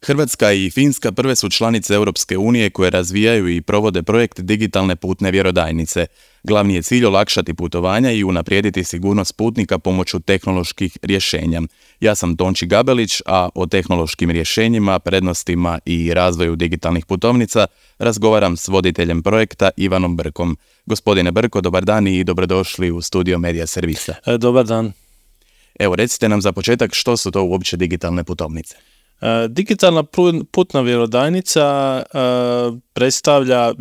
Hrvatska i Finska prve su članice Europske unije koje razvijaju i provode projekt digitalne putne vjerodajnice. Glavni je cilj olakšati putovanja i unaprijediti sigurnost putnika pomoću tehnoloških rješenja. Ja sam Tonči Gabelić, a o tehnološkim rješenjima, prednostima i razvoju digitalnih putovnica razgovaram s voditeljem projekta Ivanom Brkom. Gospodine Brko, dobar dan i dobrodošli u studio Media Servisa. Dobar dan. Evo, recite nam za početak što su to uopće digitalne putovnice. Digitalna putna vjerodajnica predstavlja,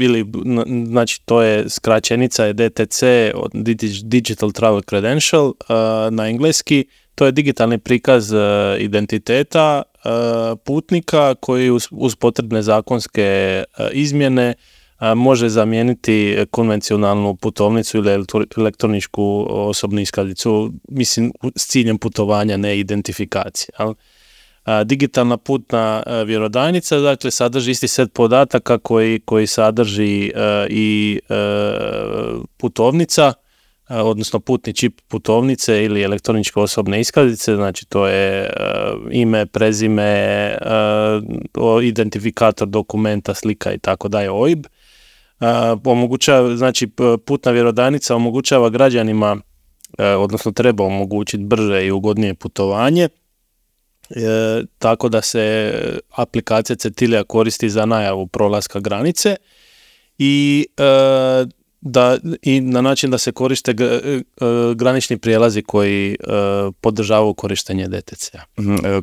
znači to je skraćenica je DTC, Digital Travel Credential na engleski. To je digitalni prikaz identiteta putnika koji uz potrebne zakonske izmjene može zamijeniti konvencionalnu putovnicu ili elektroničku osobnu iskaznicu, mislim s ciljem putovanja, ne identifikacije. Digitalna putna vjerodajnica, dakle, sadrži isti set podataka koji sadrži i putovnica, odnosno putni čip putovnice ili elektroničke osobne iskaznice, znači to je ime, prezime, identifikator dokumenta, slika i tako dalje, OIB. Znači, putna vjerodajnica omogućava građanima, odnosno treba omogućiti brže i ugodnije putovanje, tako da se aplikacija Certilia koristi za najavu prolaska granice i na način da se koriste granični prijelazi koji podržavaju korištenje DTC-a.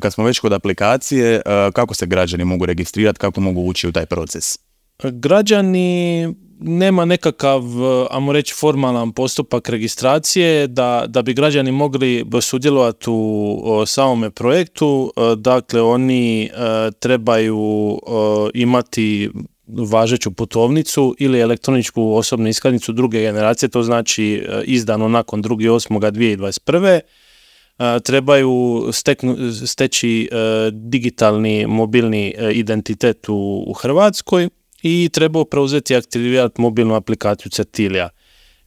Kad smo već kod aplikacije, kako se građani mogu registrirati, kako mogu ući u taj proces? Građani nema nekakav, ajmo reći, formalan postupak registracije da bi građani mogli sudjelovati u samome projektu. Dakle, oni trebaju imati važeću putovnicu ili elektroničku osobnu iskaznicu druge generacije, to znači izdano nakon 2.8.2021. Trebaju steći digitalni mobilni identitet u Hrvatskoj i trebaju preuzeti i aktivirati mobilnu aplikaciju Certilia.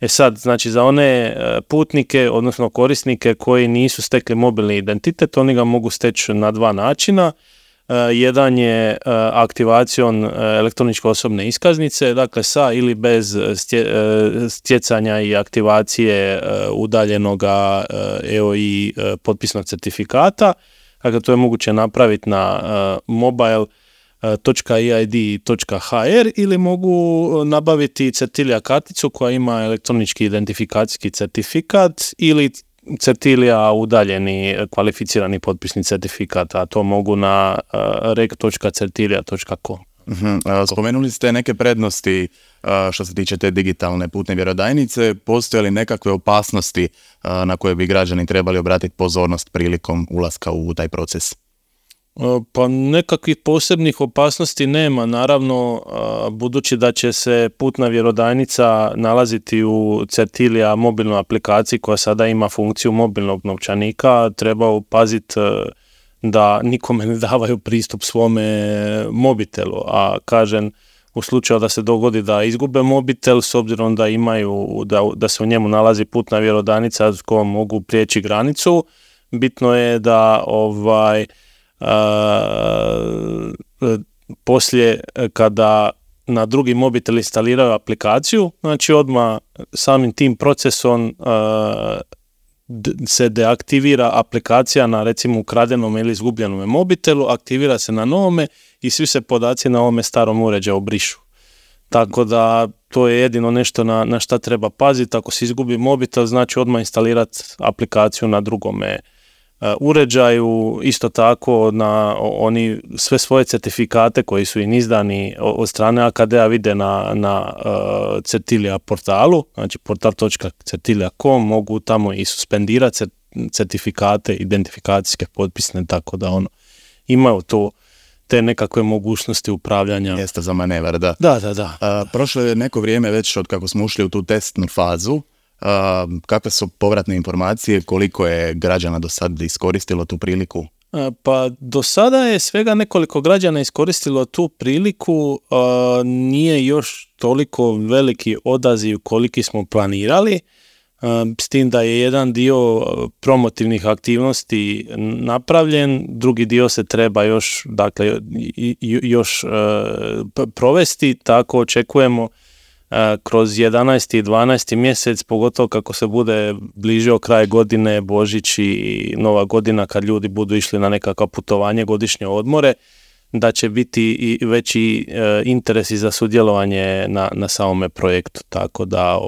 Sad, znači za one putnike, odnosno korisnike koji nisu stekli mobilni identitet, oni ga mogu steći na dva načina. Jedan je aktivacijom elektroničke osobne iskaznice, dakle sa ili bez stjecanja i aktivacije udaljenog EOI potpisnog certifikata. Dakle, to je moguće napraviti na mobile.eid.hr ili mogu nabaviti Certilia karticu koja ima elektronički identifikacijski certifikat ili Certilia udaljeni kvalificirani potpisni certifikat, a to mogu na rec.certilia.com. Spomenuli ste neke prednosti što se tiče te digitalne putne vjerodajnice. Postoje li nekakve opasnosti na koje bi građani trebali obratiti pozornost prilikom ulaska u taj proces? Pa nekakvih posebnih opasnosti nema, naravno, budući da će se putna vjerodajnica nalaziti u Certilia mobilnoj aplikaciji koja sada ima funkciju mobilnog novčanika, treba paziti da nikome ne davaju pristup svome mobitelu, a kažem, u slučaju da se dogodi da izgube mobitel, s obzirom da imaju, da se u njemu nalazi putna vjerodajnica s kojom mogu prijeći granicu, bitno je da poslije kada na drugi mobitel instaliraju aplikaciju, znači odmah samim tim procesom se deaktivira aplikacija na recimo ukradenom ili izgubljenom mobitelu, aktivira se na novome i svi se podaci na ovome starom uređaju brišu. Tako da to je jedino nešto na šta treba paziti. Ako se izgubi mobitel, znači odmah instalirati aplikaciju na drugome uređaju, isto tako na oni sve svoje certifikate koji su im izdani od strane AKD-a vide na Certilia portalu, znači portal.certilia.com, mogu tamo i suspendirati certifikate, identifikacijske potpisne, tako da imaju to te nekakve mogućnosti upravljanja. Mjesta za manevar, da. Da. Prošlo je neko vrijeme već od kako smo ušli u tu testnu fazu. Kakve su povratne informacije, koliko je građana do sad iskoristilo tu priliku? Pa do sada je svega nekoliko građana iskoristilo tu priliku, nije još toliko veliki odaziv koliki smo planirali. s tim da je jedan dio promotivnih aktivnosti napravljen, drugi dio se treba još, dakle, još provesti, tako očekujemo kroz 11. i 12. mjesec, pogotovo kako se bude bližio kraj godine, Božić i Nova godina, kad ljudi budu išli na nekakva putovanje, godišnje odmore, da će biti i veći interesi za sudjelovanje na samome projektu. Tako da,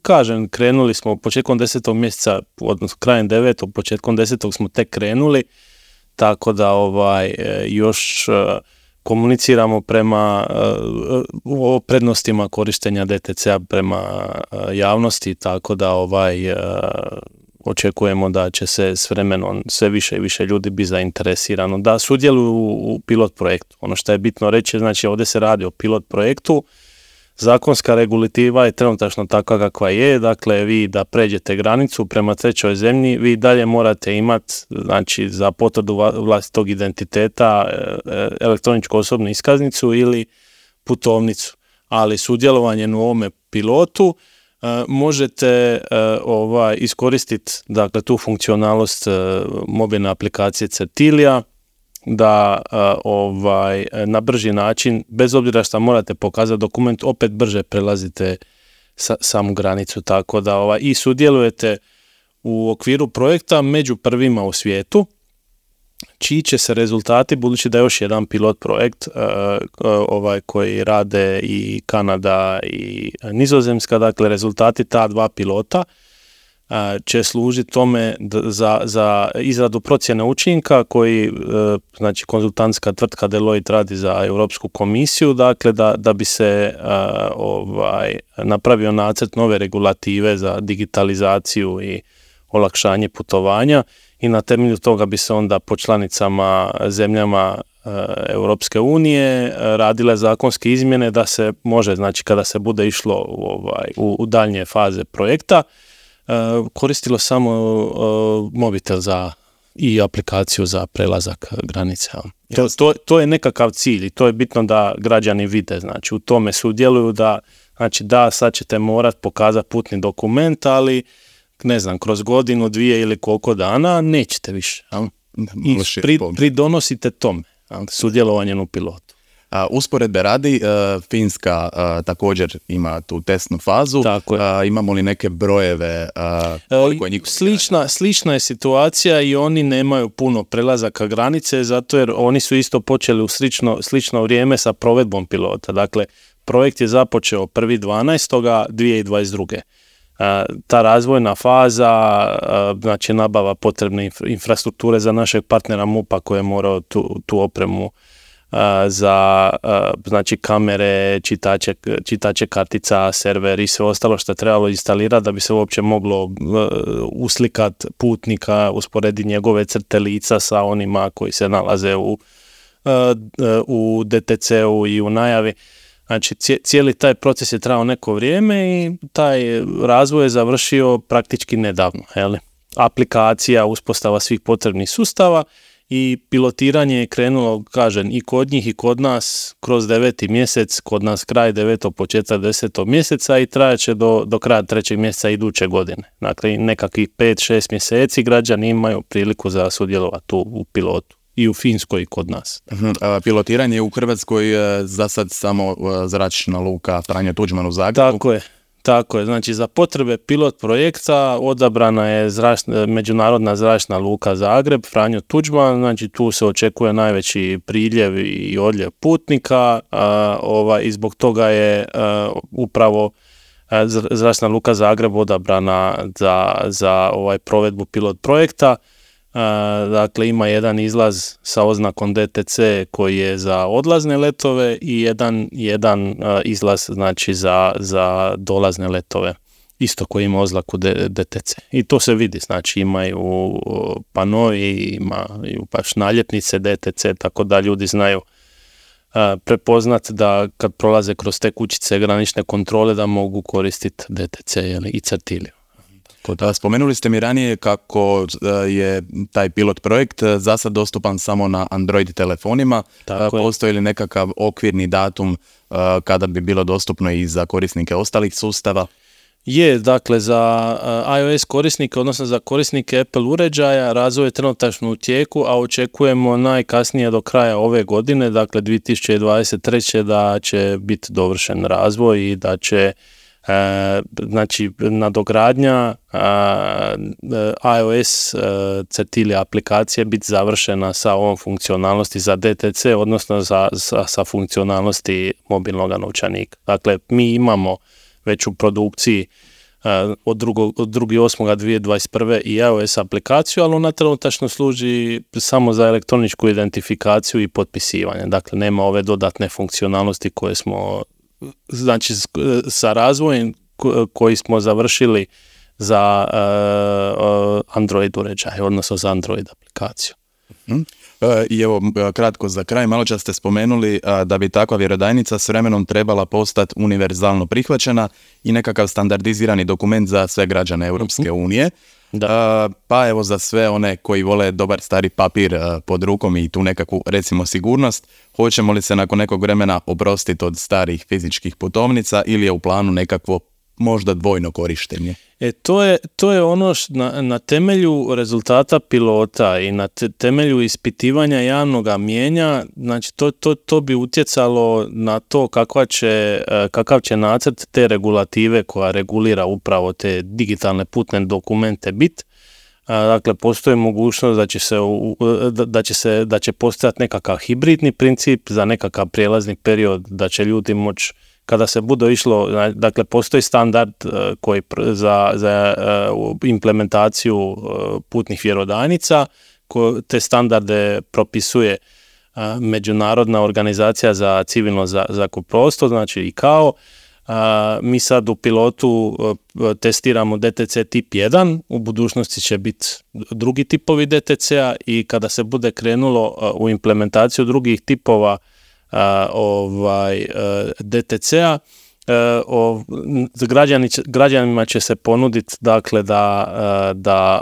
kažem, krenuli smo početkom 10. mjeseca, odnosno krajem 9. početkom 10. smo tek krenuli, tako da još komuniciramo prema o prednostima korištenja DTC-a prema javnosti, tako da očekujemo da će se s vremenom sve više i više ljudi biti zainteresirano da sudjeluju u pilot projektu. Ono što je bitno reći, znači ovdje se radi o pilot projektu, zakonska regulativa je trenutačno takva kakva je, dakle vi da pređete granicu prema trećoj zemlji, vi dalje morate imati, znači za potvrdu vlastitog identiteta, elektroničku osobnu iskaznicu ili putovnicu, ali sudjelovanjem u ovome pilotu možete iskoristiti, dakle, tu funkcionalnost mobilne aplikacije Certilia, da na brži način, bez obzira što morate pokazati dokument, opet brže prelazite samu granicu, tako da i sudjelujete u okviru projekta među prvima u svijetu, čiji će se rezultati, budući da je još jedan pilot projekt koji rade i Kanada i Nizozemska, dakle rezultati ta dva pilota će služiti tome za izradu procjene učinka koji, znači konzultantska tvrtka Deloitte radi za Europsku komisiju, dakle da bi se napravio nacrt nove regulative za digitalizaciju i olakšanje putovanja i na temelju toga bi se onda po članicama zemljama Europske unije radile zakonske izmjene da se može, znači kada se bude išlo u daljnje faze projekta, koristilo samo mobitel i aplikaciju za prelazak granice. To je nekakav cilj i to je bitno da građani vide, znači u tome sudjeluju, da znači da sad ćete morati pokazati putni dokument, ali ne znam, kroz godinu, dvije ili koliko dana nećete više. I pridonosite tome, sudjelovanjem u pilotu. Usporedbe radi, Finska također ima tu testnu fazu. Imamo li neke brojeve? Koliko je njih? Slična je situacija i oni nemaju puno prelazaka granice, zato jer oni su isto počeli u slično vrijeme sa provedbom pilota. Dakle, projekt je započeo 1.12.2022. Ta razvojna faza, znači nabava potrebne infrastrukture za našeg partnera MUP-a koji je morao tu opremu za znači kamere, čitače kartica, server i sve ostalo što je trebalo instalirati da bi se uopće moglo uslikati putnika, usporediti njegove crte lica sa onima koji se nalaze u DTC-u i u najavi. Znači cijeli taj proces je trajao neko vrijeme i taj razvoj je završio praktički nedavno. Aplikacija, uspostava svih potrebnih sustava i pilotiranje je krenulo, kažem, i kod njih i kod nas kroz 9. mjesec, kod nas kraj 9. početak 10. mjeseca i trajaće do kraja 3. mjeseca iduće godine. Dakle, nekakvih 5-6 mjeseci građani imaju priliku za sudjelovati u pilotu. I u Finskoj i kod nas. Pilotiranje u Hrvatskoj za sad samo zračna luka Franjo Tuđman u Zagrebu. Tako je. Znači za potrebe pilot projekta odabrana je međunarodna zračna luka Zagreb, Franjo Tuđman, znači tu se očekuje najveći priljev i odljev putnika i zbog toga je upravo zračna luka Zagreb odabrana za provedbu pilot projekta. Dakle, ima jedan izlaz sa oznakom DTC koji je za odlazne letove i jedan izlaz znači za dolazne letove, isto koji ima oznaku DTC. I to se vidi, znači imaju panovi, imaju baš naljepnice DTC, tako da ljudi znaju prepoznati da kad prolaze kroz te kućice granične kontrole da mogu koristiti DTC i Certiliju. Spomenuli ste mi ranije kako je taj pilot projekt za sad dostupan samo na Android telefonima. Postoji li nekakav okvirni datum kada bi bilo dostupno i za korisnike ostalih sustava? Je, dakle, za iOS korisnike, odnosno za korisnike Apple uređaja, razvoj je trenutačno u tijeku, a očekujemo najkasnije do kraja ove godine, dakle 2023. da će biti dovršen razvoj i da će znači nadogradnja iOS Certilia aplikacije biti završena sa ovom funkcionalnosti za DTC, odnosno sa funkcionalnosti mobilnog novčanika. Dakle, mi imamo već u produkciji od 2.8.2021. i iOS aplikaciju, ali ona trenutačno služi samo za elektroničku identifikaciju i potpisivanje. Dakle, nema ove dodatne funkcionalnosti koje smo, znači sa razvojem koji smo završili za Android uređaj, odnosno za Android aplikaciju. I evo, kratko za kraj, malo čas ste spomenuli da bi takva vjerodajnica s vremenom trebala postati univerzalno prihvaćena i nekakav standardizirani dokument za sve građane Europske unije. Pa evo, za sve one koji vole dobar stari papir pod rukom i tu nekakvu, recimo, sigurnost, hoćemo li se nakon nekog vremena oprostiti od starih fizičkih putovnica ili je u planu nekakvo možda dvojno korištenje? To je ono na temelju rezultata pilota i na temelju ispitivanja javnog mijenja, znači to bi utjecalo na to kakav će nacrt te regulative koja regulira upravo te digitalne putne dokumente biti. Dakle, postoji mogućnost da će postojati nekakav hibridni princip za nekakav prijelazni period, da će ljudi moći, kada se bude išlo, dakle, postoji standard koji za implementaciju putnih vjerodajnica, te standarde propisuje Međunarodna organizacija za civilno zrakoplovstvo, znači ICAO. Mi sad u pilotu testiramo DTC tip 1, u budućnosti će biti drugi tipovi DTC-a i kada se bude krenulo u implementaciju drugih tipova DTC-a, građanima će se ponuditi, dakle, da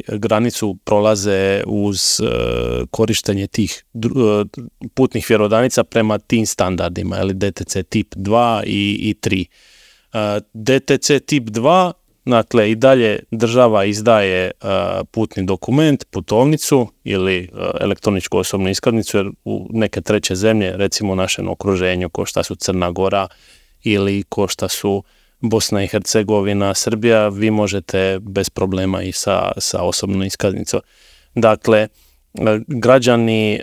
granicu prolaze uz korištenje tih putnih vjerodajnica prema tim standardima, ili DTC tip 2 i 3. DTC tip 2, dakle, i dalje država izdaje putni dokument, putovnicu ili elektroničku osobnu iskaznicu, jer u neke treće zemlje, recimo u našem okruženju, ko šta su Crna Gora ili ko šta su Bosna i Hercegovina, Srbija, vi možete bez problema i sa osobnom iskaznicom. Dakle, građani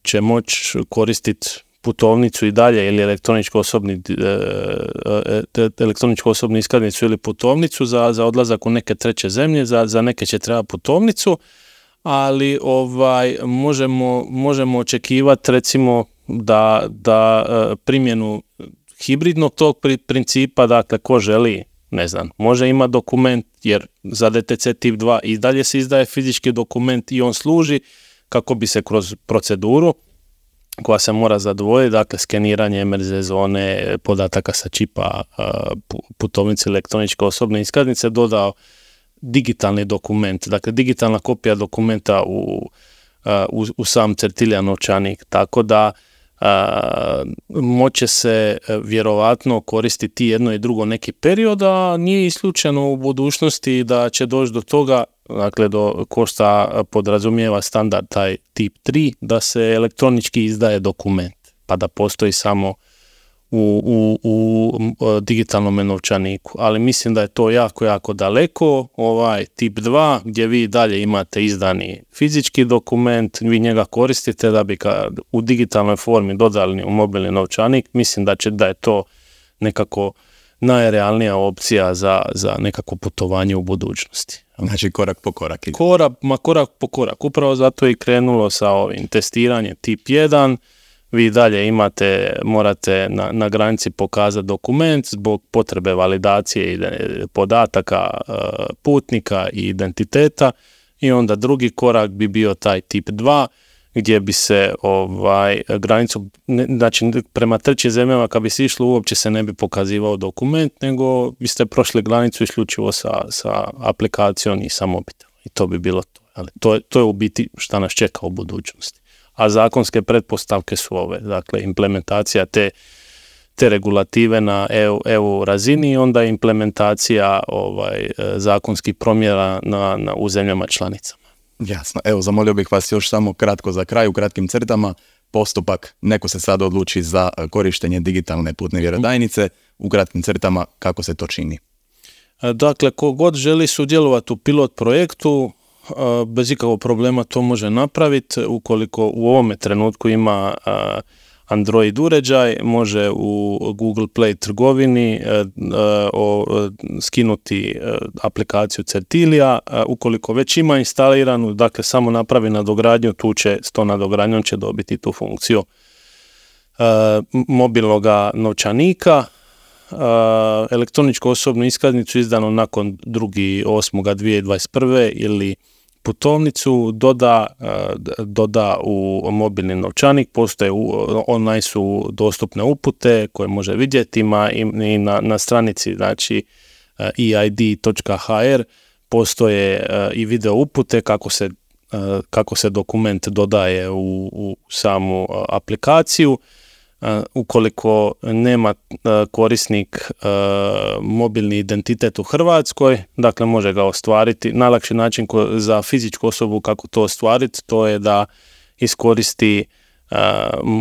će moći koristiti putovnicu i dalje ili elektroničku osobnu iskaznicu ili putovnicu za odlazak u neke treće zemlje, za neke će treba putovnicu, ali možemo očekivati, recimo, da primjenu hibridnog tog principa, dakle, ko želi, ne znam, može imati dokument, jer za DTC tip 2 i dalje se izdaje fizički dokument i on služi kako bi se kroz proceduru koja se mora zadovoljiti, dakle, skeniranje MRZ zone, podataka sa čipa putovnice, elektroničke osobne iskaznice, dodao digitalni dokument, dakle, digitalna kopija dokumenta u sam Certilia novčanik, tako da moće se vjerovatno koristiti jedno i drugo neki period, a nije isključeno u budućnosti da će doći do toga, dakle, ko šta podrazumijeva standard taj tip 3, da se elektronički izdaje dokument, pa da postoji samo u digitalnom novčaniku. Ali mislim da je to jako, jako daleko. Ovaj tip 2, gdje vi dalje imate izdani fizički dokument, vi njega koristite da bi ga u digitalnoj formi dodali u mobilni novčanik, mislim da je to nekako najrealnija opcija za nekako putovanje u budućnosti. Znači, korak po korak. Korak po korak. Upravo zato je krenulo sa ovim testiranjem tip 1. Vi dalje morate na granici pokazati dokument zbog potrebe validacije podataka putnika i identiteta, i onda drugi korak bi bio taj tip 2, gdje bi se granicu, znači prema trećim zemljama kad bi se išlo uopće se ne bi pokazivao dokument, nego biste prošli granicu isključivo sa aplikacijom i sa mobitelom. I to bi bilo to. Ali to je u biti šta nas čeka u budućnosti. A zakonske pretpostavke su ove, dakle, implementacija te te regulative na EU razini i onda implementacija zakonskih promjera u zemljama članicama. Jasno. Evo, zamolio bih vas još samo kratko za kraj, u kratkim crtama, postupak, neko se sad odluči za korištenje digitalne putne vjerodajnice, u kratkim crtama kako se to čini. Dakle, ko god želi sudjelovati u pilot projektu, bez ikakvog problema to može napraviti. Ukoliko u ovome trenutku ima Android uređaj, može u Google Play trgovini skinuti aplikaciju Certilia. Ukoliko već ima instaliranu, dakle samo napravi nadogradnju, tu će s tom nadogradnjom će dobiti tu funkciju mobilnog novčanika. Elektroničku osobnu iskaznicu izdanu nakon 2.8.2021. ili putovnicu doda u mobilni novčanik, postoje online su dostupne upute koje može vidjeti, ima i na stranici, znači eid.hr postoje i video upute kako se dokument dodaje u samu aplikaciju. Ukoliko nema korisnik mobilni identitet u Hrvatskoj, dakle može ga ostvariti. Najlakši način za fizičku osobu kako to ostvariti, to je da iskoristi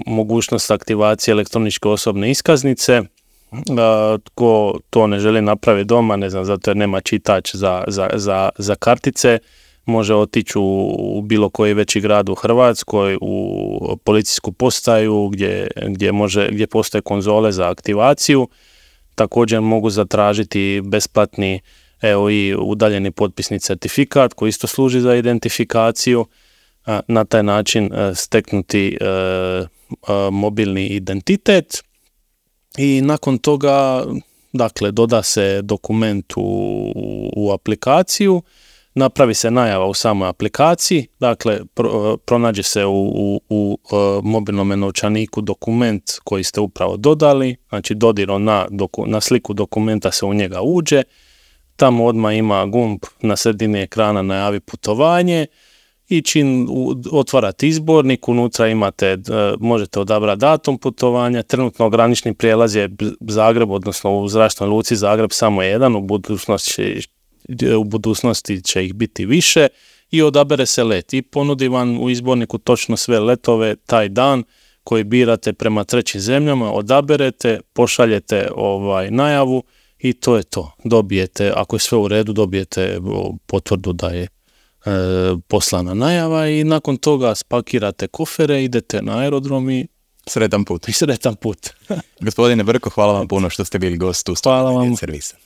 mogućnost aktivacije elektroničke osobne iskaznice. Tko to ne želi napraviti doma, ne znam, zato jer nema čitač za kartice, može otići u bilo koji veći grad u Hrvatskoj, u policijsku postaju gdje postoje konzole za aktivaciju. Također mogu zatražiti besplatni i udaljeni potpisni certifikat koji isto služi za identifikaciju. Na taj način steknuti mobilni identitet i nakon toga, dakle, doda se dokument u aplikaciju. Napravi se najava u samoj aplikaciji, dakle pronađe se u mobilnom novčaniku dokument koji ste upravo dodali, znači dodirom na sliku dokumenta se u njega uđe, tamo odmah ima gumb na sredini ekrana najavi putovanje i čim otvarate izbornik, unutra možete odabrati datum putovanja, trenutno granični prijelaz je Zagreb, odnosno u zračnoj luci Zagreb samo jedan, u budućnosti će ih biti više i odabere se let i ponudi vam u izborniku točno sve letove taj dan koji birate prema trećim zemljama, odaberete, pošaljete najavu i to je to. Dobijete, ako je sve u redu, dobijete potvrdu da je poslana najava i nakon toga spakirate kofere, idete na aerodrom i sretan put. Sretan put. Gospodine Brko, hvala vam puno što ste bili gost u Hvala vam. Servisa.